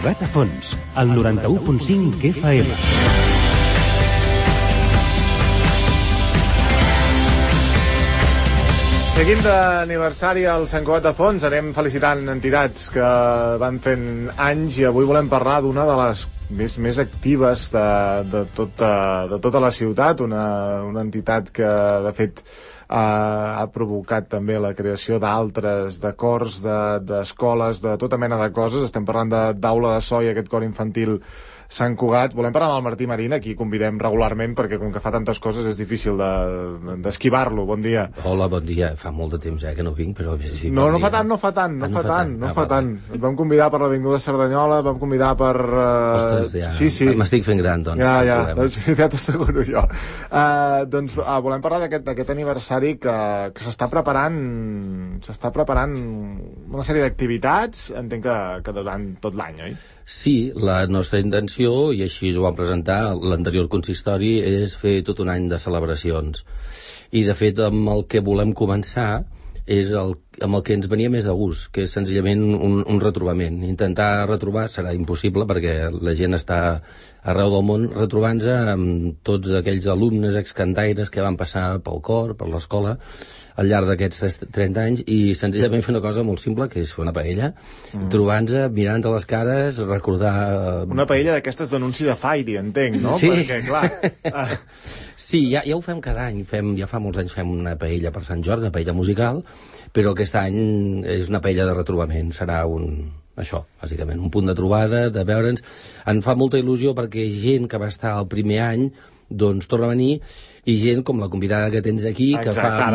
Cugat a Fons, al 91.5 FM. Seguint d'aniversari al Sant Cugat de Fons, anem felicitant entitats que van fent anys i avui volem parlar d'una de les més actives de tota la ciutat, una entitat que de fet ha provocat també la creació d'altres, de cors, d'escoles, de tota mena de coses. Estem parlant d'Aula de So i aquest cor infantil Sant Cugat. Volem parlar amb el Martí Marín, aquí convidem regularment perquè com que fa tantes coses és difícil d'esquivar-lo. Bon dia. Hola, bon dia. Fa molt de temps ja que no vinc, però... Sí, no fa tant. Et vam convidar per l'Avinguda Cerdanyola, vam convidar per... Ostres, ja. Sí. M'estic fent gran, doncs. Ja t'ho asseguro jo. Volem parlar d'aquest aniversari que s'està preparant una sèrie d'activitats, entenc que durant tot l'any, oi? Sí, la nostra intenció, i així ho vam presentar l'anterior consistori, és fer tot un any de celebracions. I, de fet, amb el que volem començar és amb el que ens venia més de gust, que és senzillament un retrobament. Intentar retrobar serà impossible perquè la gent està arreu del món retrobant-se amb tots aquells alumnes excantaires que van passar pel cor, per l'escola, al llarg d'aquests 30 anys, i senzillament fer una cosa molt simple, que és fer una paella, trobant-se, mirant-se les cares, recordar... Una paella d'aquestes d'anunci de Fairy, entenc, no? Sí. Perquè, clar... Sí, ja ho fem cada any. Ja fa molts anys fem una paella per Sant Jordi, una paella musical, però aquest any és una paella de retrobament. Serà això, bàsicament, un punt de trobada, de veure'ns. Em fa molta il·lusió perquè gent que va estar el primer any doncs torna a venir, i gent com la convidada que tens aquí, que fa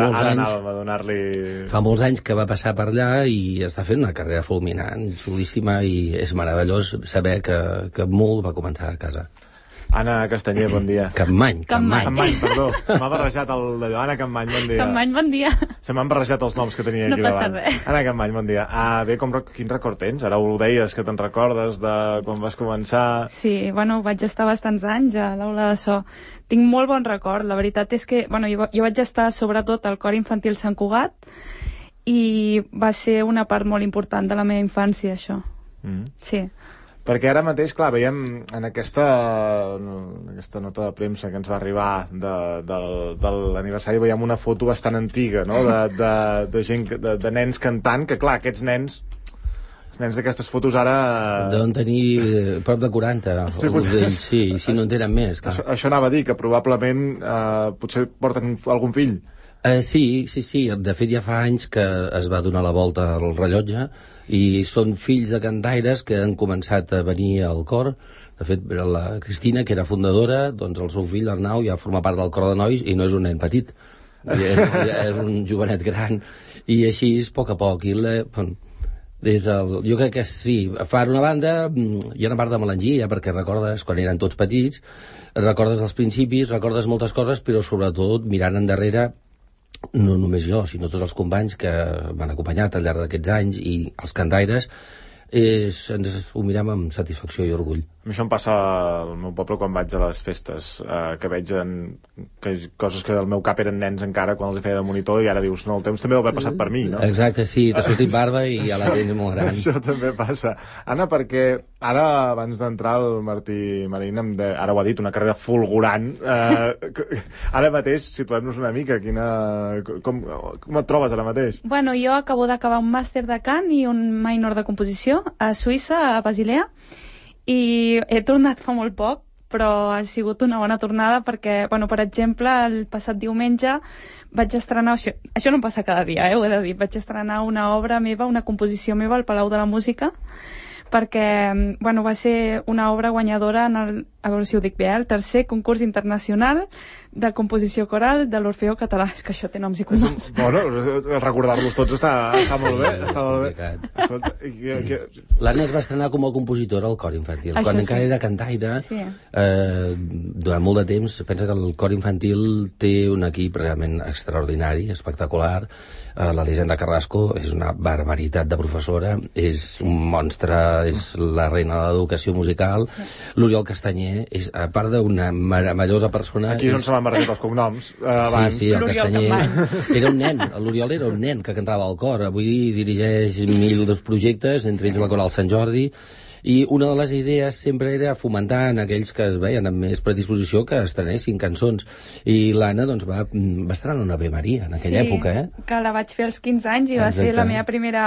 molts anys que va passar per allà i està fent una carrera fulminant, xulíssima, i és meravellós saber que molt va començar a casa. Anna Castanyer, bon dia. Campmany, perdó. M'ha barrejat d'allò. Anna Campmany, bon dia. Campmany, bon dia. Se m'han barrejat els noms que tenia aquí davant. No passa res. Anna Campmany, bon dia. Quin record tens? Ara ho deies, que te'n recordes de quan vas començar... Sí, vaig estar bastants anys a l'Aula de So. Tinc molt bon record. La veritat és que, jo vaig estar sobretot al cor infantil Sant Cugat i va ser una part molt important de la meva infància, això. Sí. Perquè ara mateix, clar, veiem en aquesta nota de premsa que ens va arribar de l'aniversari, veiem una foto bastant antiga, no?, de gent, de nens cantant, que clar, aquests nens, els nens d'aquestes fotos ara... Deuen tenir prop de 40, d'ells, sí, si no en tenen més. Clar. Això anava a dir, que probablement potser porten algun fill. Sí. De fet, ja fa anys que es va donar la volta al rellotge i són fills de cantaires que han començat a venir al cor. De fet, la Cristina, que era fundadora, doncs el seu fill, l'Arnau, ja forma part del cor de nois i no és un nen petit. És un jovenet gran. I així, a poc a poc. Jo crec que sí. Per una banda, hi ha una part de melangia, perquè recordes quan eren tots petits, recordes els principis, recordes moltes coses, però sobretot mirant endarrere, no només jo, sinó tots els companys que m'han acompanyat al llarg d'aquests anys i els cantaires, ens ho mirem amb satisfacció i orgull. A mi això em passa al meu poble quan vaig a les festes, que veig coses que al meu cap eren nens encara quan els feia de monitor, i ara dius, no, el temps també ho va passat per mi, no? Exacte, sí, t'ha sortit barba i ja la tens molt gran. Això també passa. Anna, perquè ara, abans d'entrar el Martí Marín, ara ho ha dit, una carrera fulgurant. Ara mateix, situem-nos una mica, com et trobes ara mateix? Jo acabo d'acabar un màster de cant i un minor de composició a Suïssa, a Basilea, i he tornat fa molt poc, però ha sigut una bona tornada perquè, per exemple, el passat diumenge vaig estrenar, això no em passa cada dia, ho he de dir, vaig estrenar una obra meva, una composició meva al Palau de la Música, perquè va ser una obra guanyadora a veure si ho dic bé, el tercer concurs internacional de composició coral de l'Orfeó Català. És que això té noms i cognoms. Recordar-los tots està molt bé. L'Anna es va estrenar com a compositora al cor infantil. Quan encara era cantaire, durant molt de temps, pensa que el cor infantil té un equip realment extraordinari, espectacular. L'Elisenda Carrasco és una barbaritat de professora, és un monstre, és la reina de l'educació musical. L'Oriol Castanyer és, a part d'una meravellosa persona... Aquí és on se m'han barrejat els cognoms. Sí, el Castanyer era un nen, l'Oriol era un nen que cantava al cor. Avui dirigeix 1.000 projectes, entre ells la Coral Sant Jordi, I una de les idees sempre era fomentar en aquells que es veien amb més predisposició que estrenessin cançons. I l'Anna doncs, va estrenar una Ave Maria en aquella època, que la vaig fer als 15 anys i va ser la meva primera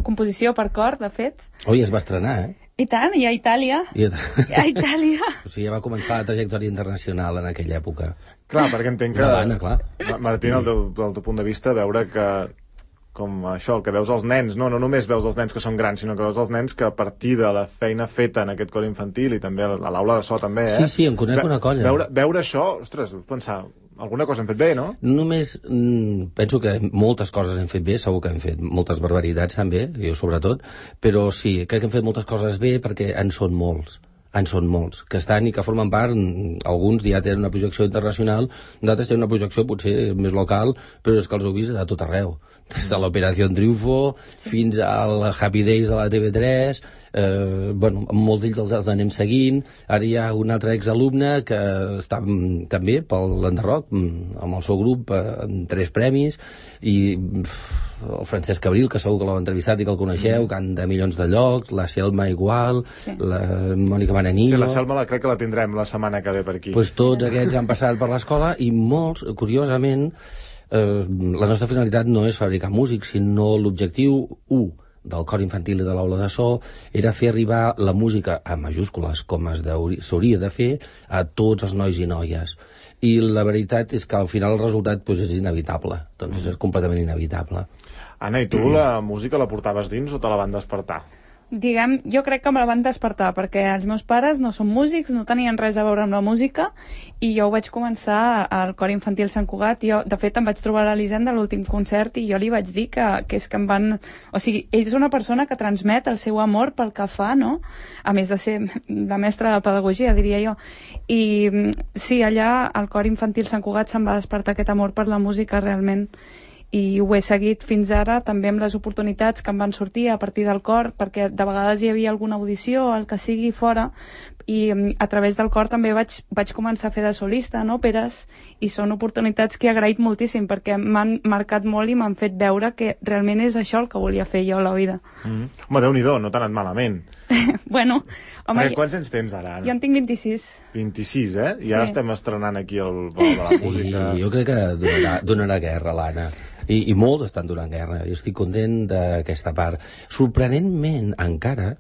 composició per cor, de fet. Oi, es va estrenar, I tant, i a Itàlia. A Itàlia. O sigui, ja va començar la trajectòria internacional en aquella època. Clar, perquè entenc que... L'Anna, clar. Martín, del teu punt de vista, veure que com això, el que veus els nens, no només veus els nens que són grans, sinó que veus els nens que a partir de la feina feta en aquest cor infantil i també a l'aula de so també, Sí, em conec una colla. Veure això, ostres, pensar, alguna cosa hem fet bé, no? Només penso que moltes coses hem fet bé, segur que hem fet moltes barbaritats també, jo sobretot, però sí, crec que hem fet moltes coses bé perquè en són molts, que estan i que formen part, alguns ja tenen una projecció internacional, d'altres tenen una projecció potser més local, però és que els heu vist a tot arreu, des de l'Operació Triunfo fins al Happy Days de la TV3, molts d'ells els anem seguint. Ara hi ha un altre exalumne que està també pel Landerroc amb el seu grup en 3 premis, i el Francesc Abril, que segur que l'heu entrevistat i que el coneixeu, canta milions de llocs, la Selma igual, la Mònica Mananillo... Sí, la Selma crec que la tindrem la setmana que ve per aquí. Pues tots aquests han passat per l'escola i molts, curiosament, la nostra finalitat no és fabricar músics, sinó l'objectiu 1 del cor infantil i de l'aula de so era fer arribar la música a majúscules, com s'hauria de fer, a tots els nois i noies. I la veritat és que al final el resultat és inevitable, doncs és completament inevitable. Anna, i tu la música la portaves dins o te la van despertar? Jo crec que me la van despertar, perquè els meus pares no són músics, no tenien res a veure amb la música, i jo ho vaig començar al cor infantil Sant Cugat. Jo, de fet, em vaig trobar a l'Elisenda a l'últim concert i jo li vaig dir que és que em van... O sigui, ell és una persona que transmet el seu amor pel que fa, no? A més de ser la mestra de pedagogia, diria jo. I sí, allà al cor infantil Sant Cugat se'm va despertar aquest amor per la música realment. I ho he seguit fins ara també amb les oportunitats que em van sortir a partir del cor, perquè de vegades hi havia alguna audició, el que sigui fora, i a través del cor també vaig començar a fer de solista en òperes, i són oportunitats que he agraït moltíssim perquè m'han marcat molt i m'han fet veure que realment és això el que volia fer jo a la vida. Home, Déu-n'hi-do, no t'ha anat malament. Bueno, home... Quants anys tens ara, Anna? Jo en tinc 26. 26, I ara estem estrenant aquí el vol de la música. Sí, jo crec que donarà guerra, l'Anna. I molts estan donant guerra. Jo estic content d'aquesta part. Sorprenentment, encara,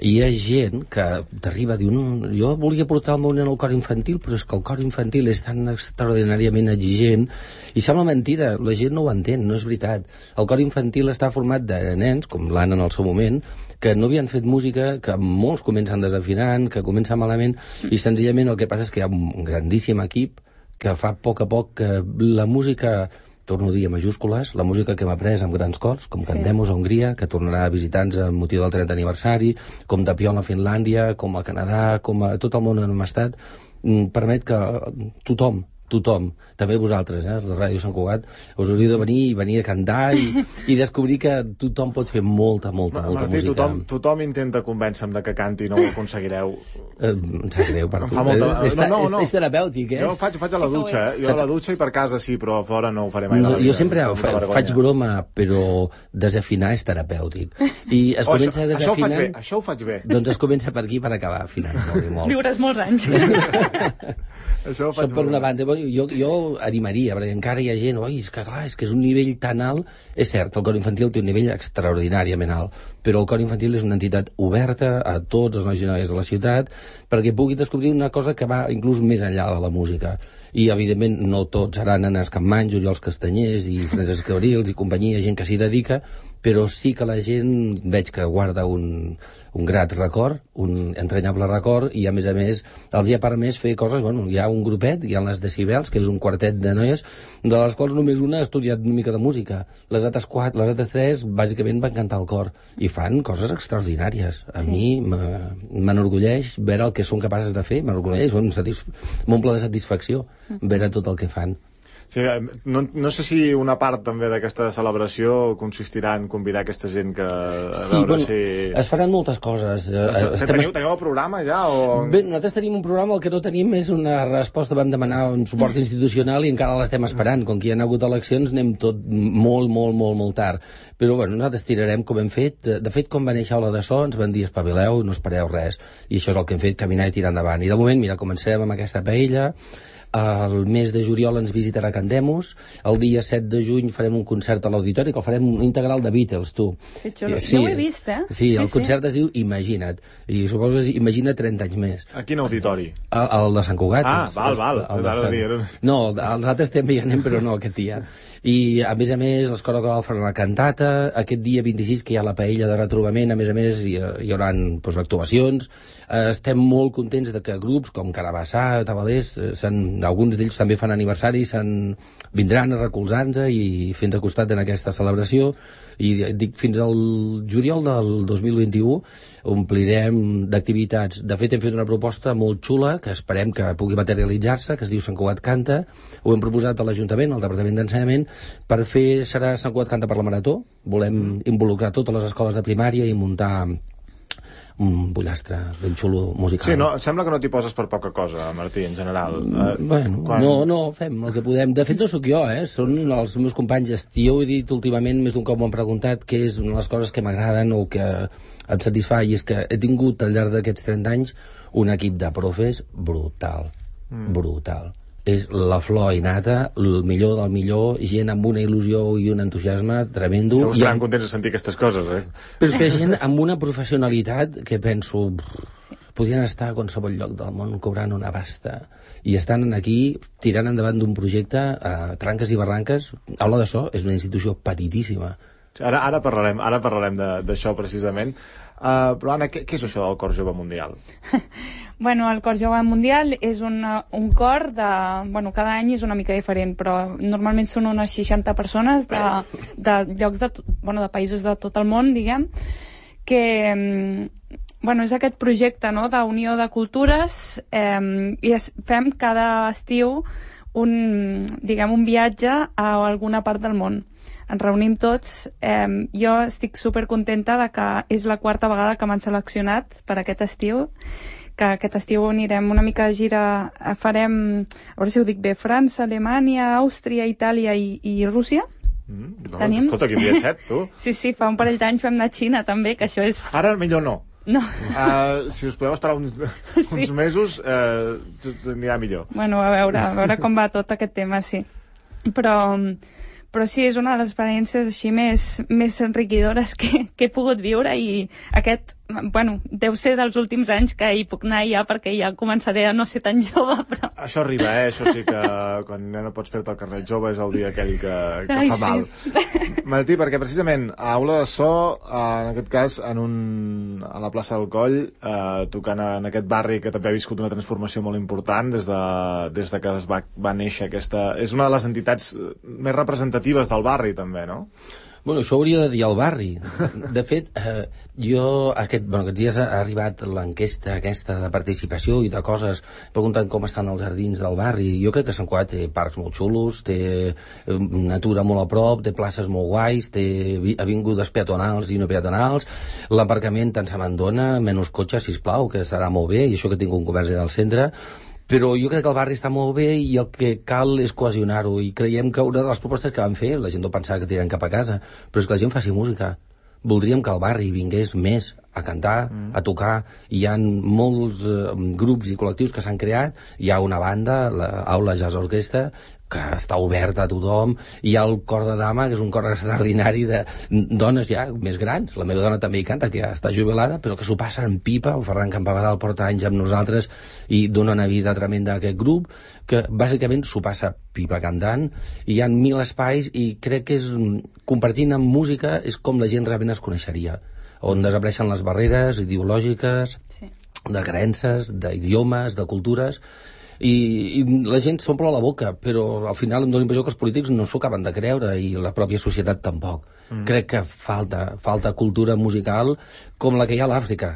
hi ha gent que t'arriba a dir jo volia portar el meu nen al cor infantil, però és que el cor infantil és tan extraordinàriament exigent, i sembla mentida, la gent no ho entén, no és veritat. El cor infantil està format de nens, com l'Anna en el seu moment, que no havien fet música, que molts comencen desafinant, que comencen malament, i senzillament el que passa és que hi ha un grandíssim equip que fa a poc que la música, torno a dir a majúscules, la música que hem après amb grans cors, com Cantemos a Hongria, que tornarà a visitar-nos amb motiu del 30 aniversari, com Tapion a Finlàndia, com a Canadà, com a tot el món on hem estat, permet que tothom, també vosaltres, els de Ràdio Sant Cugat, us hauríeu de venir a cantar i descobrir que tothom pot fer molta Martí, música. Tothom intenta convèncer-me de que canti i no ho aconseguireu. Em sap greu per tu. És terapèutic, Jo faig a la dutxa, Jo a la dutxa i per casa sí, però a fora no ho faré mai. Jo sempre faig broma, però desafinar és terapèutic. I es comença a desafinar... Això ho faig bé. Doncs es comença per aquí per acabar afinant molt. Viuràs molts anys. Això ho faig per una banda. Jo animaria, perquè encara hi ha gent, és que és un nivell tan alt. És cert, el cor infantil té un nivell extraordinàriament alt, però el cor infantil és una entitat oberta a tots els nois i noies de la ciutat perquè pugui descobrir una cosa que va inclús més enllà de la música. I, evidentment, no tots seran Annes Campmany, Oriols Castanyers i Francesc Cabrils i companyia, gent que s'hi dedica, però sí que la gent veig que guarda un grat record, un entranyable record, i a més els hi ha permès fer coses, hi ha un grupet, hi ha les Decibels, que és un quartet de noies, de les quals només una ha estudiat una mica de música. Les altres 3, bàsicament van cantar al cor, i fan coses extraordinàries. A mi m'enorgulleix veure el que són capaces de fer, m'enorgulleix, m'omple de satisfacció veure tot el que fan. Sí, no sé si una part també d'aquesta celebració consistirà en convidar aquesta gent que es faran moltes coses. Teniu el programa ja? Bé, nosaltres tenim un programa, el que no tenim és una resposta. Vam demanar un suport institucional i encara l'estem esperant. Com que hi ha hagut eleccions anem tot molt tard. Però bueno, nosaltres tirarem com hem fet. De fet, quan va néixer Aula de So ens van dir espavileu, no espereu res. I això és el que hem fet, caminar i tirar endavant. I de moment, mira, comencem amb aquesta paella. El mes de juliol ens visitarà Candemus. El dia 7 de juny farem un concert a l'Auditori, que el farem un integral de Beatles, tu. Sí, jo ho he vist, Sí, el concert es diu Imagina't. I suposo que és Imagina't 30 anys més. A quin auditori? El de Sant Cugat. Val. No, els altres també hi anem, però no aquest dia. I, a més, l'Escola Coral farà una cantata. Aquest dia 26, que hi ha la paella de retrobament, a més, hi haurà actuacions. Estem molt contents de que grups com Carabassà, Tabalers, alguns d'ells també fan aniversari, vindran a recolzar-nos i fer-nos a costat en aquesta celebració. I dic, fins al juliol del 2021 omplirem d'activitats. De fet, hem fet una proposta molt xula que esperem que pugui materialitzar-se, que es diu Sant Cugat Canta. Ho hem proposat a l'Ajuntament, al Departament d'Ensenyament, per fer, serà Sant Cugat Canta per la Marató. Volem involucrar totes les escoles de primària i muntar un pollastre ben xulo musical. Sí, no, sembla que no t'hi poses per poca cosa, Martí, en general. No, fem el que podem. De fet, no sóc jo, són els meus companys. Jo he dit últimament, més d'un cop m'han preguntat què és una de les coses que m'agraden o que em satisfà, i és que he tingut al llarg d'aquests 30 anys un equip de profes brutal. És la flor innata, el millor del millor, gent amb una il·lusió i un entusiasme tremendo. Segur que estaran contents de sentir aquestes coses, Però és que gent amb una professionalitat que penso podrien estar a qualsevol lloc del món cobrant una pasta i estan aquí tirant endavant d'un projecte a tranques i barranques. Aula de So és una institució petitíssima. Ara parlarem d'això precisament. Però Anna, què és això del Cor Jove Mundial? Bueno, el Cor Jove Mundial és un cor de... Bueno, cada any és una mica diferent, però normalment són unes 60 persones de llocs de països de tot el món, diguem, que... Bueno, és aquest projecte, no?, d'unió de cultures, i fem cada estiu un viatge a alguna part del món. Ens reunim tots. Jo estic supercontenta de que és la 4a vegada que m'han seleccionat per aquest estiu, que aquest estiu anirem una mica de gira, farem, a veure si ho dic bé, França, Alemanya, Àustria, Itàlia i Rússia. Escolta, quin viatget, tu. Sí, fa un parell d'anys vam anar a Xina també, que això és... Ara millor no. No. Si us podeu esperar uns mesos, anirà millor. Bueno, a veure com va tot aquest tema, sí. Però sí, és una de les experiències així més enriquidores que he pogut viure, i aquest, deu ser dels últims anys que hi puc anar ja, perquè ja començaré a no ser tan jove, però... Això arriba, això sí que quan no pots fer-te el carnet jove és el dia aquell que fa mal. Martí, perquè precisament a Aula de So, en aquest cas a la plaça del Coll, tocant en aquest barri que també ha viscut una transformació molt important des de que va néixer aquesta... És una de les entitats més representatives del barri, també, no? Bueno, això hauria de dir al barri. De fet, aquests dies ha arribat l'enquesta aquesta de participació i de coses preguntant com estan els jardins del barri. Jo crec que Sant Cugat té parcs molt xulos, té natura molt a prop, té places molt guais, té avingudes peatonals i no peatonals, l'aparcament tant se m'endona, menys cotxes, sisplau, que estarà molt bé, i això que tinc un comerç al centre. Però jo crec que el barri està molt bé i el que cal és cohesionar-ho, i creiem que una de les propostes que van fer, la gent no pensava que tiraren cap a casa, però és que la gent faci música. Voldríem que al barri vingués més a cantar, a tocar. Hi ha molts grups i col·lectius que s'han creat. Hi ha una banda, l'Aula Jazz Orquestra, que està oberta a tothom. Hi ha el cor de dama, que és un cor extraordinari de dones ja més grans. La meva dona també hi canta, que ja està jubilada, però que s'ho passa en pipa. El Ferran Campabadal porta anys amb nosaltres i dona una vida tremenda a aquest grup, que bàsicament s'ho passa pipa cantant. Hi ha 1000 espais i crec que compartint amb música és com la gent realment es coneixeria, on desapareixen les barreres ideològiques, de creences, d'idiomes, de cultures, i la gent s'omple la boca, però al final em dóna l'impressió que els polítics no s'ho acaben de creure, i la pròpia societat tampoc. Crec que falta cultura musical com la que hi ha a l'Àfrica.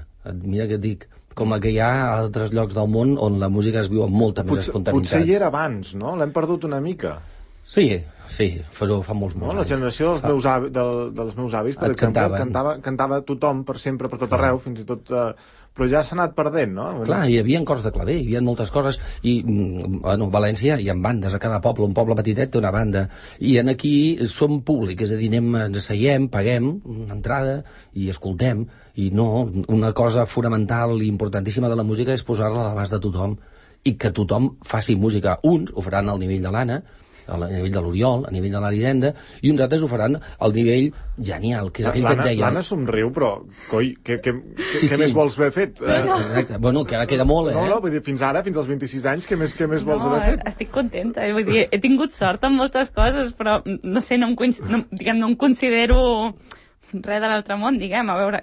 Mira què et dic, com la que hi ha a altres llocs del món on la música es viu amb molta més espontaneïtat. Potser hi era abans, no? L'hem perdut una mica. Sí, però fa molts No, la anys. generació dels meus avis, per exemple, cantava tothom per sempre, per tot arreu, fins i tot... però ja s'ha anat perdent, no? Clar, hi havia cors de claver, hi havia moltes coses, i bueno, a València hi ha bandes, a cada poble, un poble petitet té una banda, i en aquí som públic, és a dir, ens asseiem, paguem una entrada i escoltem, i no, una cosa fonamental i importantíssima de la música és posar-la a l'abast de tothom, i que tothom faci música. Uns ho faran al nivell de l'Anna, a nivell de l'Oriol, a nivell de l'Aridenda, i uns altres ho faran al nivell genial, que és aquell que et deia... L'Anna somriu, però, coi, què més vols haver fet? Exacte. Bueno, que ara queda molt, No, vull dir, fins ara, fins als 26 anys, què més vols haver fet? Estic contenta, vull dir, he tingut sort en moltes coses, però, no sé, no em considero res de l'altre món, diguem, a veure,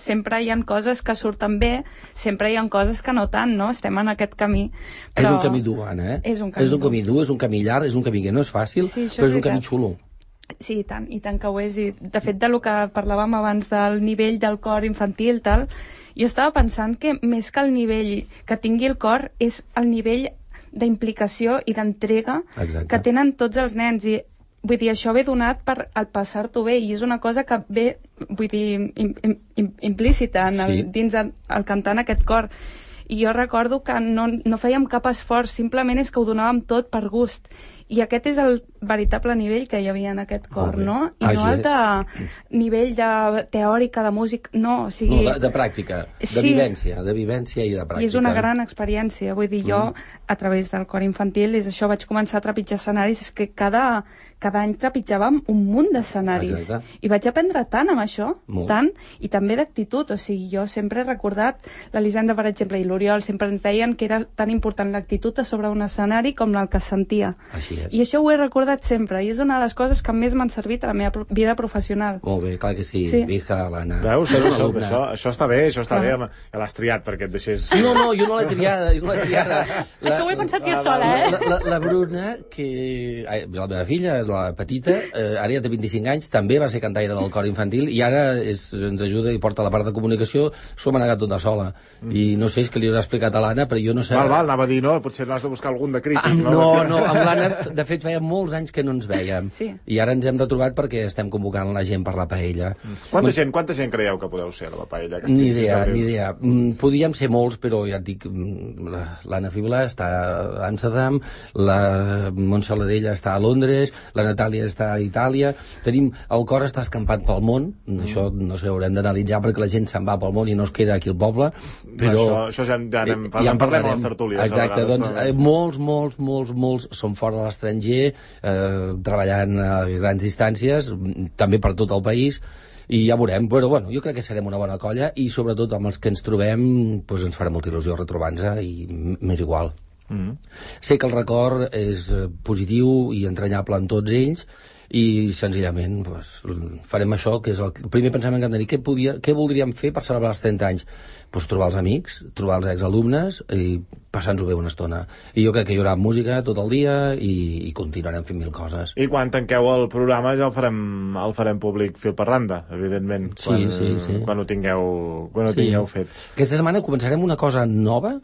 sempre hi ha coses que surten bé, sempre hi ha coses que no tant, no? Estem en aquest camí. Però... És un camí dur, Anna, És un camí dur, és un camí llarg, és un camí que no és fàcil, però és un camí xulo. Sí, i tant que ho és. I, de fet, del que parlàvem abans del nivell del cor infantil, tal, jo estava pensant que més que el nivell que tingui el cor és el nivell d'implicació i d'entrega que tenen tots els nens. I vull dir, això ve donat per el passar-t'ho bé, i és una cosa que ve, vull dir, implícita dins el cantar en aquest cor. I jo recordo que no fèiem cap esforç, simplement és que ho donàvem tot per gust. I aquest és el veritable nivell que hi havia en aquest cor, no? I no el de nivell de teòrica, de músic, no, o sigui... No, de pràctica, de vivència i de pràctica. I és una gran experiència, vull dir, jo, a través del cor infantil, és això, vaig començar a trepitjar escenaris, és que cada any trepitjàvem un munt d'escenaris. I vaig aprendre tant amb això, tant, i també d'actitud, o sigui, jo sempre he recordat, l'Elisenda, per exemple, i l'Oriol sempre ens deien que era tan important l'actitud a sobre un escenari com el que es sentia. I això ho he recordat sempre, i és una de les coses que més m'han servit a la meva vida professional. Molt bé, clar que sí. Vija, l'Anna. Veus? Això està bé, ja l'has triat perquè et deixés... No, jo no l'he triada, Això ho he pensat jo sola, La Bruna, que... La meva filla, la petita, ara ja té 25 anys, també va ser cantaire del cor infantil, i ara ens ajuda i porta la part de comunicació, s'ho m'ha negat tota sola. I no sé, és que li haurà explicat a l'Anna, però jo no sé... Val, anava a dir, no, potser n'has de buscar algun de crític. No, amb l'Anna, de fet, feia molts anys que no ens vèiem. I ara ens hem retrobat perquè estem convocant la gent per la paella. Quanta gent creieu que podeu ser a la paella? Ni idea. Podíem ser molts, però ja et dic, l'Anna Fibla està a Amsterdam, la Montse Ladella està a Londres, la Natàlia està a Itàlia, el cor està escampat pel món, això no sé, haurem d'analitzar perquè la gent se'n va pel món i no es queda aquí al poble, però... Això ja en parlem a les tertúlies. Exacte, doncs molts són fora de l'estranger, treballant a grans distàncies, també per tot el país, i ja veurem, però bueno, jo crec que serem una bona colla, i sobretot amb els que ens trobem doncs ens farà molta il·lusió retrobar-nos, i m'és igual. Sé que el record és positiu i entranyable en tots ells, i senzillament farem això, que és el primer pensament que hem de dir. Què voldríem fer per celebrar els 30 anys? Trobar els amics, trobar els exalumnes i passar-nos-ho bé una estona. I jo crec que hi haurà música tot el dia i continuarem fent mil coses. I quan tanqueu el programa ja el farem públic fil per randa, evidentment. Quan ho tingueu fet. Aquesta setmana començarem una cosa nova,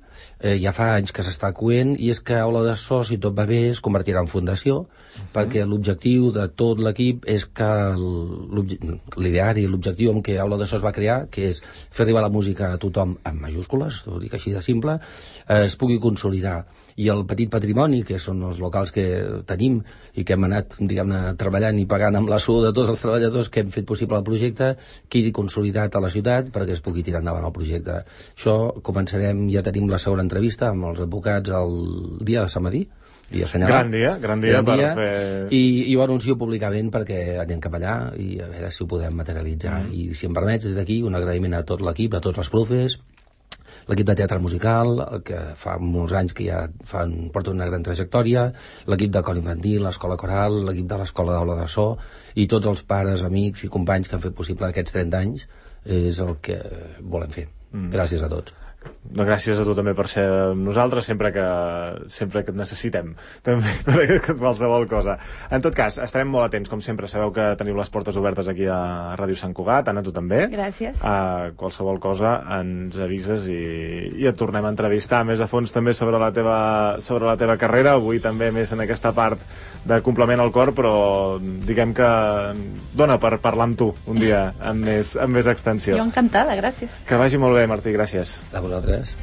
ja fa anys que s'està coent, i és que Aula de So, si tot va bé, es convertirà en fundació, perquè l'objectiu de tot l'equip és que l'ideari, l'objectiu amb què Aula de So es va crear, que és fer arribar la música a tothom amb majúscules, ho dic així de simple, es pugui consolidar. I el petit patrimoni, que són els locals que tenim i que hem anat, diguem-ne, treballant i pagant amb la sou de tots els treballadors que hem fet possible el projecte, quedi consolidat a la ciutat perquè es pugui tirar endavant el projecte. Això començarem, ja tenim la segona entrevista amb els advocats el dia de Sant Madí, dia assenyalat. Gran dia per fer... I ho anuncio públicament perquè anem cap allà i a veure si ho podem materialitzar. I si em permets, des d'aquí, un agraïment a tot l'equip, a tots els profes, l'equip de teatre musical, que fa molts anys que ja porta una gran trajectòria, l'equip de cor infantil, l'escola coral, l'equip de l'escola d'Aula de So, i tots els pares, amics i companys que han fet possible aquests 30 anys, és el que volem fer. Gràcies a tots. gràcies a tu també per ser amb nosaltres sempre que et necessitem també per qualsevol cosa. En tot cas, estarem molt atents, com sempre. Sabeu que teniu les portes obertes aquí a Ràdio Sant Cugat. Anna, tu també. Gràcies. Qualsevol cosa ens avises i et tornem a entrevistar més a fons també sobre la teva carrera, avui també més en aquesta part de complement al cor, però diguem que dona per parlar amb tu un dia amb més extensió. Jo encantada, gràcies. Que vagi molt bé, Martí, gràcies. A vosaltres.